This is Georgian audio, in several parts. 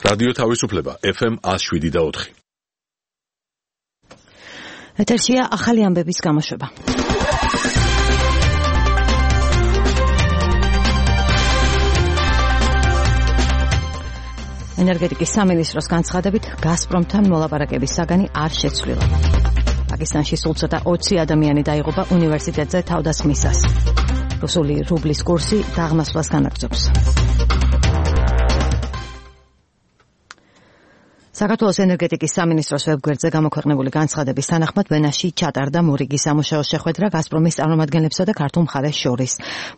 რადიო თავისუფლება FM 107.4. ეთერშია ახალი ამბების გამოშვება. ენერგეტიკის სამინისტროს განცხადებით გაზპრომთან მოლაპარაკების საგანი არ შეცვლილა. პაკისტანში სულ ცოტა 20 ადამიანი დაიღუპა უნივერსიტეტზე თავდასხმისას. რუსული რუბლის კურსი დაღმასვლას განაგრძობს. საქართველოს ენერგეტიკის სამინისტროს ვებგვერდზე გამოქვეყნებული განცხადების თანახმად ვენაში ჩატარდა მორიგის სამუშაო შეხვედრა გაზპრომის წარმომადგენლებსა და ქართულ მხარეს შორის.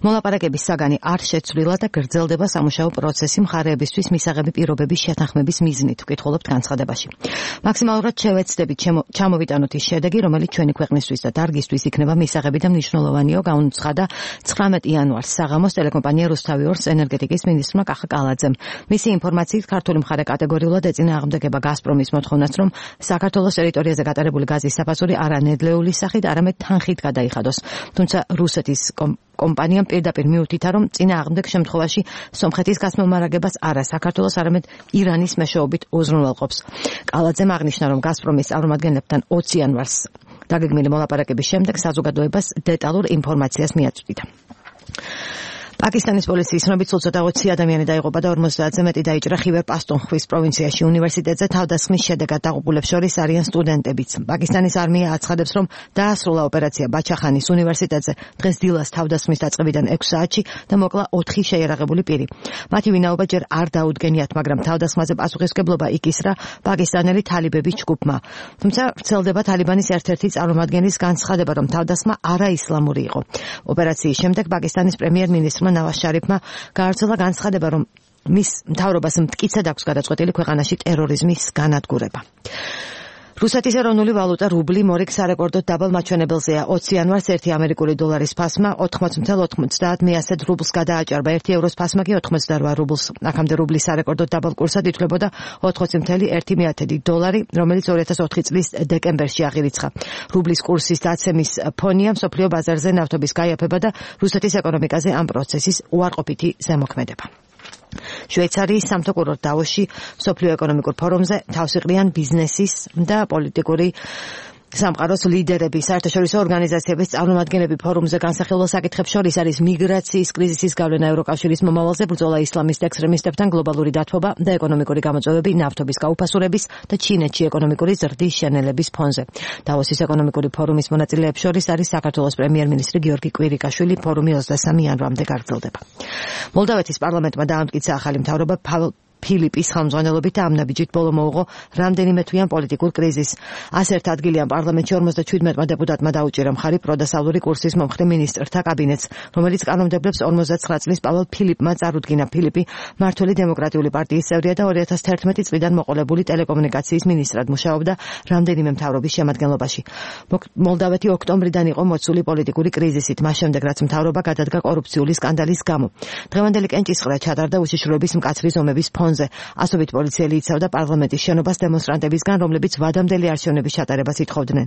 მოლაპარაკების საგანი არ შეცვლილა და გრძელდება სამუშაო პროცესი მხარეებისთვის მისაღები პირობების შეთანხმების მიზნით, ვკითხულობთ განცხადებაში. მაქსიმალურად შევეცდებით ჩამოვიტანოთ ის შედეგი, რომელიც ჩვენი ქვეყნისთვის და დარგისთვის იქნება მისაღები და მნიშვნელოვანიო, გაუცხადა 19 იანვარს საღამოს ტელეკომპანია რუსთავი-2-ს ენერგეტიკის მინისტრმა კახა კალაძემ. მისი ინფორმაციით ქართული მხარე კატეგორიულად ეწინააღმდეგება გაზპრომის მოთხოვნას, რომ საქართველოს ტერიტორიაზე გატარებული გაზის საფასური არა ნედლეული სახით, არამედ თანხით გადაიხადოს. თუმცა რუსეთის კომპანიამ პირდაპირ მიუთითა, რომ წინააღმდეგ შემთხვევაში სომხეთის გასმომარაგებას არა საქართველოს, არამედ ირანის მეშვეობით უზრუნველყოფს. კალაძემ აღნიშნა, რომ გაზპრომის წარმომადგენლებთან 20 იანვარს დაგეგმილი მოლაპარაკების შემდეგ საზოგადოებას დეტალურ ინფორმაციას მიაწვდიდა. პაკისტანის პოლიციის ცნობით სულ ცოტა 20 ადამიანი დაიღუპა და 50-ზე მეტი დაიჭრა ხივერ პასტუნხვის პროვინციაში უნივერსიტეტზე თავდასხმის შედეგად დაღუპულებს შორის არიან სტუდენტებიც. პაკისტანის არმია აცხადებს, რომ დაასრულა ოპერაცია ბაჩახანის უნივერსიტეტზე დღეს დილას თავდასხმის დაწყებიდან 6 საათში და მოკლა 4 შეიარაღებული პირი. მათი ვინაობა ჯერ არ დაუდგენიათ, მაგრამ თავდასხმაზე პასუხისმგებლობა იკისრა პაკისტანელი თალიბების ჯგუფმა. თუმცა ვრცელდება თალიბანის ერთ-ერთი წარმომადგენლის განცხადება, რომ თავდასხმა არაისლამური იყო. ოპერაციის შემდეგ პაკისტანის პრემიერ-მინისტრმა ნავაზ შარიფმა გაავრცელა განცხადება, რომ მის მთავრობას მტკიცედ აქვს გადაწყვეტილი ქვეყანაში ტერორიზმის განადგურება. რუსეთის ეროვნული ვალუტა რუბლი მორიგ სარეკორდოდ დაბალ მაჩვენებელზეა. 20 იანვარს 1 ამერიკული დოლარის ფასმა 80.90 რუბლს გადააჭარბა, 1 ევროს ფასმა კი 88 რუბლს. აქამდე რუბლის სარეკორდოდ დაბალ კურსად ითვლებოდა 80.1 დოლარი, რომელიც 2004 წლის დეკემბერში აღირიცხა. რუბლის კურსის დაცემის ფონია მსოფლიო ბაზარზე ნავთობის გაიაფება და რუსეთის ეკონომიკაზე ამ პროცესის უარყოფითი ზემოქმედება. შვეიცარიის სამთო კურორტ დავოსში მსოფლიო ეკონომიკურ ფორუმზე თავს იყრიან ბიზნესის და პოლიტიკური სამყაროს ლიდერები, საერთაშორისო ორგანიზაციების წარმომადგენლები. ფორუმზე განსახილველ საკითხებს შორის არის მიგრაციის კრიზისის გავლენა ევროკავშირის მომავალზე, ბრძოლა ისლამისტ ექსტრემისტებთან, გლობალური დათბობა და ეკონომიკური გამოწვევები ნავთობის გაუფასურების და ჩინეთში ეკონომიკური ზრდის შენელების ფონზე. დავოსის ეკონომიკური ფორუმის მონაწილეებს შორის არის საქართველოს პრემიერ-მინისტრი გიორგი კვირიკაშვილი. ფორუმი 23 იანვრამდე გაგრძელდება. მოლდავეთის პარლამენტმა დაამტკიცა ახალი მთავრობა ფილიპის ხელმძღვანელობით და ამ ნაბიჯით ბოლო მოუღო რამდენიმე თვიან პოლიტიკურ კრიზისს. 101 ადგილიან პარლამენტში 57 დეპუტატმა დაუჭირა მხარი პროდასავლური კურსის მომხრე მინისტრთა კაბინეტს, რომელიც კანონმდებლებს 59 წლის პაველ ფილიპმა წარუდგინა. ფილიპი მმართველი დემოკრატიული პარტიის წევრია და 2011 წლიდან მოყოლებული ტელეკომუნიკაციის მინისტრად მუშაობდა რამდენიმე მთავრობის შემადგენლობაში. მოლდავეთი ოქტომბრიდან იყო მოცული პოლიტიკური კრიზისით, მას შემდეგ რაც მთავრობა გადადგა კორუფციული სკანდალის გამო. დღევანდელი კენჭისყრა ჩატარდა უშიშროების მკაცრი ზომების ფონზე. ასობით პოლიციელი იცავდა პარლამენტის შენობას დემონსტრანტებისგან, რომლებიც ვადამდელი არჩევნების ჩატარებას ითხოვდნენ.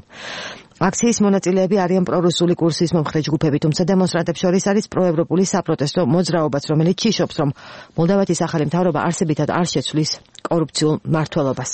აქციის მონაწილეები არიან პრორუსული კურსის მომხრე ჯგუფები, თუმცა დემონსტრანტებს შორის არის პროევროპული საპროტესტო მოძრაობაც, რომელიც ჭიშობს, რომ მოლდავეთის ახალი მთავრობა არსებითად არ შეცვლის კორუფციულ მმართველობას.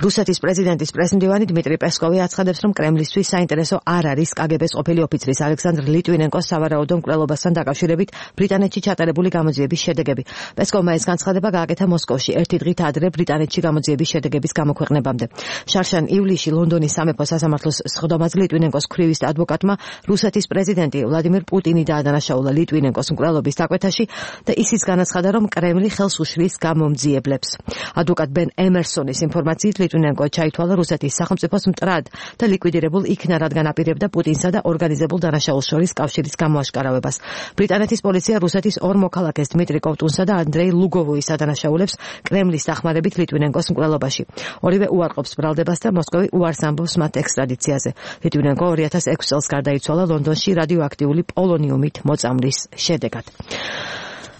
რუსეთის პრეზიდენტის პრესმდივანი დმიტრი პესკოვი აცხადებს, რომ კრემლისთვის საინტერესო არ არის კგბ-ს ყოფილი ოფიცრის ალექსანდრ ლიტვინენკოს სავარაუდო მკვლელობასთან დაკავშირებით ბრიტანეთში ჩატარებული გამოძიების შედეგები. პესკოვმა ეს განცხადება გააკეთა მოსკოვში, ერთი დღით ადრე ბრიტანეთში გამოძიების შედეგების გამოქვეყნებამდე. შარშან ივლისში ლონდონის სამეფო სასამართლოს სხდომაზე ლიტვინენკოს ქვრივის ადვოკატმა რუსეთის პრეზიდენტი ვლადიმირ პუტინი დაადანაშაულა ლიტვინენკოს მკვლელობის დაკვეთაში და ისიც განაცხადა, რომ კრემლი ხელს უშლის გამომძიებლებს. ადვოკატ ბენ ემერსონის ინფორმაციით ლიტვინენკო ჩაითვალა რუსეთის სახელმწიფოს მტრად და ლიკვიდირებულ იქნა, რადგან აპირებდა პუტინსა და ორგანიზებულ დანაშაულს შორის კავშირის გამოაშკარავებას. ბრიტანეთის პოლიცია რუსეთის ორ მოქალაქეს დმიტრი კოვტუნსა და ანდრეი ლუგოვოის ადანაშაულებს კრემლის დახმარებით ლიტვინენკოს მკვლელობაში. ორივე უარყოფს ბრალდებას და მოსკოვი უარს ამბობს მათ ექსტრადიციაზე. ლიტვინენკო 2006 წელს გარდაიცვალა ლონდონში რადიოაქტიული პოლონიუმით მოწამვლის შედეგად.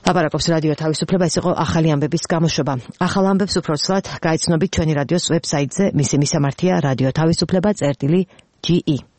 ლაპარაკობს რადიო თავისუფლება, ეს იყო ახალი ამბების გამოშვება. ახალ ამბებს უფრო ცვლად გაიცნობით ჩვენი რადიოს ვებსაიტზე, მისი მისამართია რადიო თავისუფლება.ge